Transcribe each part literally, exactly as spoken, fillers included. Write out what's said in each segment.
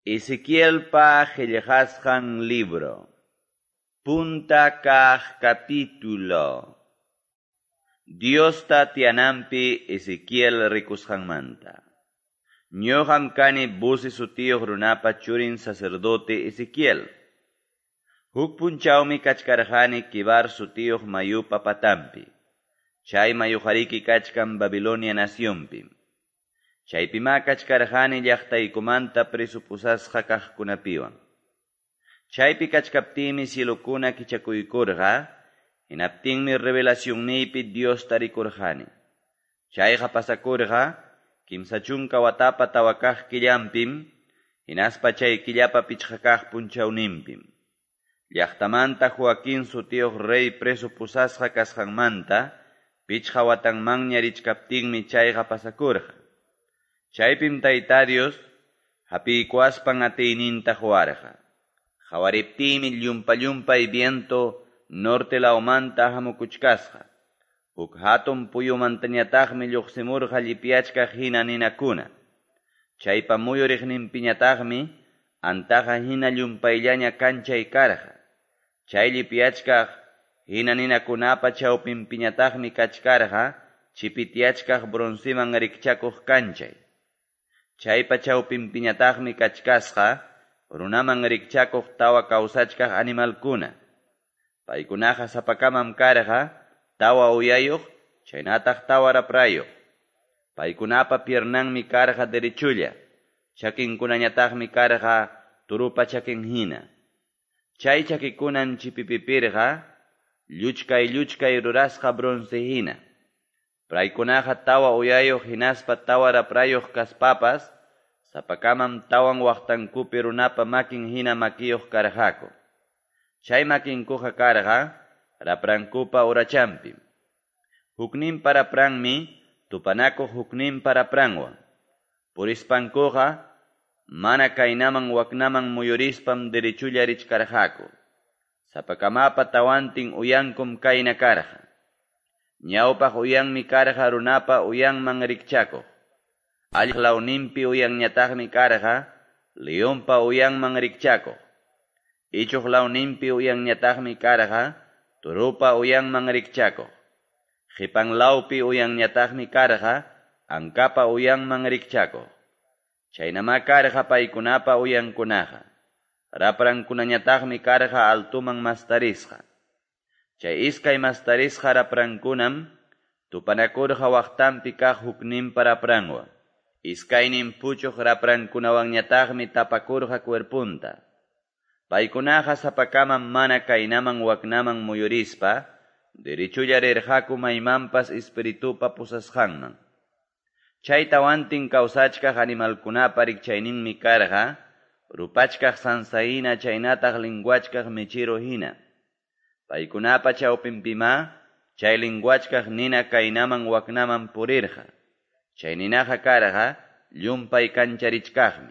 Ezequielpa qillqasqan libro. Punta kaq capítulo. Diosta tiyananpi Ezequiel rikusqanmanta. Ñuqam kani Buzi sutiyuq runapa churin sacerdote Ezequiel. Huk punchawmi kachkarqani Quebar sutiyuq mayupa patanpi. Chay mayuqariki kachkan Babilonia nacionpim. Chaypimá kachkarqani llaqtaykumanta preso pusasqa kaqkunapiwan. Chaypi kachkaptiymi cielokuna kichakuykurqa, hinaptinmi revelacionniypi Diosta rikurqani. Chayqa pasakurqa kimsa chunka watapa tawa kaq killanpim, hinaspa chay killapa pichqa kaq punchawninpim. Llaqtamanta Joaquín sutiyuq rey preso pusasqa kasqanmanta pichqa watanmanña richkaptinmi chayqa pasakurqa. Chaypim Tayta Dios hapiykuaspan atiyninta quwarqa. Qawariptiymi llumpa-llumpay viento norte lawmanta hamukuchkasqa. Huk hatun puyumantañataqmi lluqsimurqa llipyachkaq hina ninakuna. Chaypa muyuriqninpiñataqmi antaqa hina llumpayllaña kanchay karqa. Chay llipyachkaq hina ninakunapa chawpinpiñataqmi kachkarqa chipityachkaq bronceman rikchakuq kanchay. Chaypa chawpinpiñataqmi kachkasqa runaman rikchakuq tawa kawsachkaq animalkuna. Paykunaqa sapakamam karqa tawa uyayuq chaynataq tawa raprayuq. Paykunapa piernanmi karqa derechulla, chakinkunañataqmi karqa turupa chakin hina. Chay chakikunam chipipipirqa lluchkay lluchkay rurasqa bronce hina. Paykunaqa tawa uyayuq hinaspa tawa raprayuq kaspapas sapakamam tawan waqtankupi runapa makin hina makiyuq karqaku. Chay makinkuqa karqa raprankupa urachanpim. Hukninpa rapranmi tupanakuq hukninpa rapranwan. Purispankuqa mana kaynaman waknaman muyurispam derechulla richkarqaku. Sapakamapa tawantin uyankum kayna karqa. Ñawpaq uyanmi karqa runapa uyanman rikchakuq. Alliq lawninpi uyanñataqmi karqa leonpa uyanman rikchakuq. Ichuq lawninpi uyanñataqmi karqa turupa uyanman rikchakuq. Qipan lawpi uyanñataqmi karqa ankapa uyanman rikchakuq. Chaynamá karqa paykunapa uyankunaqa. Raprankunañataqmi karqa altuman mastarisqa. Chay iskay mastarisqa raprankunam tupanakurqa waqtanpi kaq hukninpa rapranwan. Iskaynin puchuq raprankunawanñataqmi tapakurqa cuerpunta. Paykunaqa sapakamam mana kaynaman waknaman muyurispa derechulla rirqaku maymanpas espiritupa pusasqanman. Chay tawantin kawsachkaq animalkunapa rikchayninmi karqa rupachkaq sansa hina chaynataq linguachkaq mechero hina. Paykunapa chawpinpimá chay linguachkaq nina kaynaman waknaman purirqa. Chay ninaqa karqa llumpay kancharichkaqmi.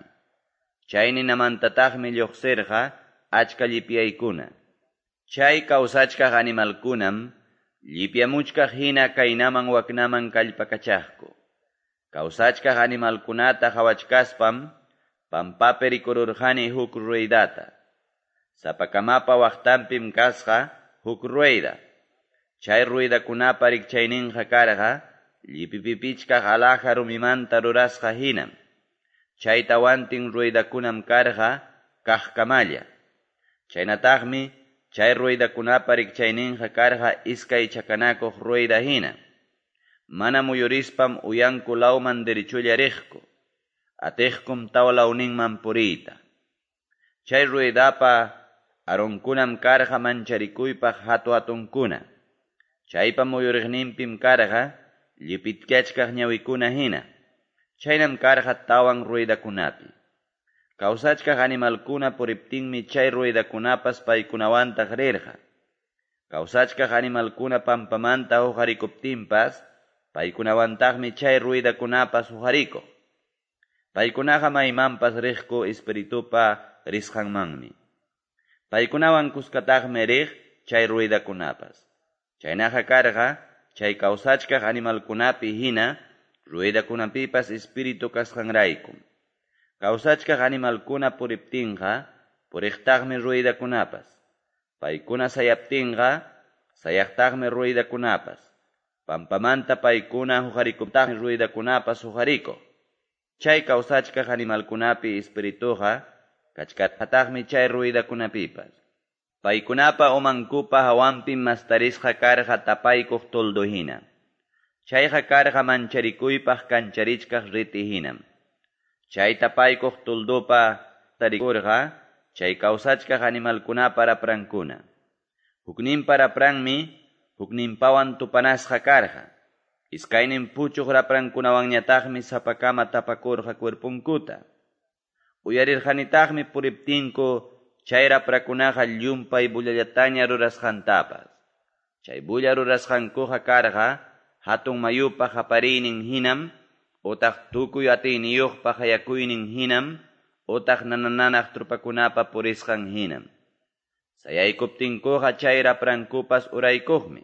Chay ninamantataqmi lluqsirqa achka llipyaykuna. Chay kawsachkaq animalkunam llipyamuchkaq hina kaynaman waknaman kallpakachaqku. Kawsachkaq animalkunata qawachkaspam pampapi rikururqani huk ruedata. Sapakamapa waqtanpim kasqa huk rueda. Chay ruedakunapa rikchayninqa karqa llipipipichkaq alhaja rumimanta rurasqa hinam. Chay tawantin ruedakunam karqa kaqkamalla. Chaynataqmi chay ruedakunapa rikchayninqa karqa iskay chakanakuq rueda hina. Mana muyurispam uyanku lawman derechulla riqku. Atiqkum tawa lawninman puriyta. Chay ruedapa aronkunam karqa mancharikuypaq hatu-hatunkuna. Chaypa muyuriqninpim karqa llipitkachkaq ñawikuna hina. Chaynam karqa tawan ruedakunapi. Kawsachkaq animalkuna puriptinmi chay ruedakunapas paykunawantaq rirqa. Kawsachkaq animalkuna pampamanta huqarikuptinpas paykunawantaqmi chay ruedakunapas huqarikuq. Paykunaqa maymanpas riqku espiritupa risqanmanmi. Paykunawan kuskataqmi riq chay ruedakunapas. Chaynaqa karqa chay kawsachkaq animalkunapi hina ruedakunapipas espíritu kasqanraykum. Kawsachkaq animalkuna puriptinqa, puriqtaqmi ruedakunapas. Paykuna sayaptinqa, sayaqtaqmi ruedakunapas. Pampamanta paykuna huqarikuptaqmi ruedakunapas huqarikuq. Chay kawsachkaq animalkunapi espirituqa kachkataqmi chay ruedakunapipas. Paykunapa umankupa hawanpim mastarisqa karqa tapaykuq toldo hina. Chayqa karqa mancharikuypaq kancharichkaq riti hinam. Chay tapaykuq toldopa tarikurqa chay kawsachkaq animalkunapa raprankuna. Hukninpa rapranmi hukninpawan tupanasqa karqa. Iskaynin puchuq raprankunawanñataqmi sapakama tapakurqa cuerponkuta. Uyarirqanitaqmi puriptinku chay raprakunaqa llumpay bullallataña rurasqantapas. Chay bulla rurasqankuqa karqa hatun mayupa qapariynin hinam, utaq tukuy atiyniyuqpa qayakuynin hinam, utaq nanananaq trupakunapa purisqan hinam. Sayaykuptinkuqa chay raprankupas uraykuqmi.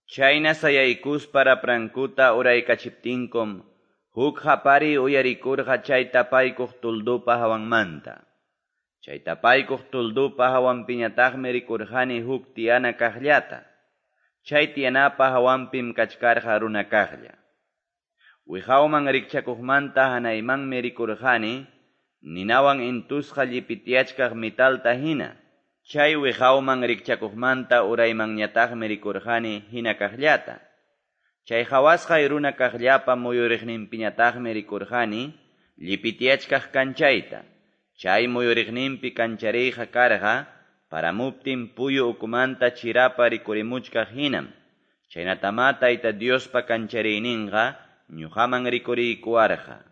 Chayna sayaykuspa raprankuta uraykachiptinkum, huk qapariy uyarikurqa chay tapaykuq tuldupa hawanmanta. Chay tapaykuq tuldupa hawanpiñataqmi rikurqani huk tiyana kaqllata. Chay tiyanapa hawanpim kachkarqa runa kaqlla. Wiqawman rikchakuqmanta hanaymanmi rikurqani, ninawan intusqa llipitiachkaq metalta hina. Chay wiqawman rikchakuqmanta uraymanñataqmi rikurqani hina kaqllata. Chay qhawasqay runa kaqllapa muyuriqninpiñataqmi rikurqani llipitiachkaq kanchayta. Chay muyuriqninpi kanchariyqa karqa paramuptin puyu ukumanta chirapa rikurimuchkaq hinam. Chaynatamá Tayta Diospa kanchariyninqa ñuqaman rikuriykuwarqa.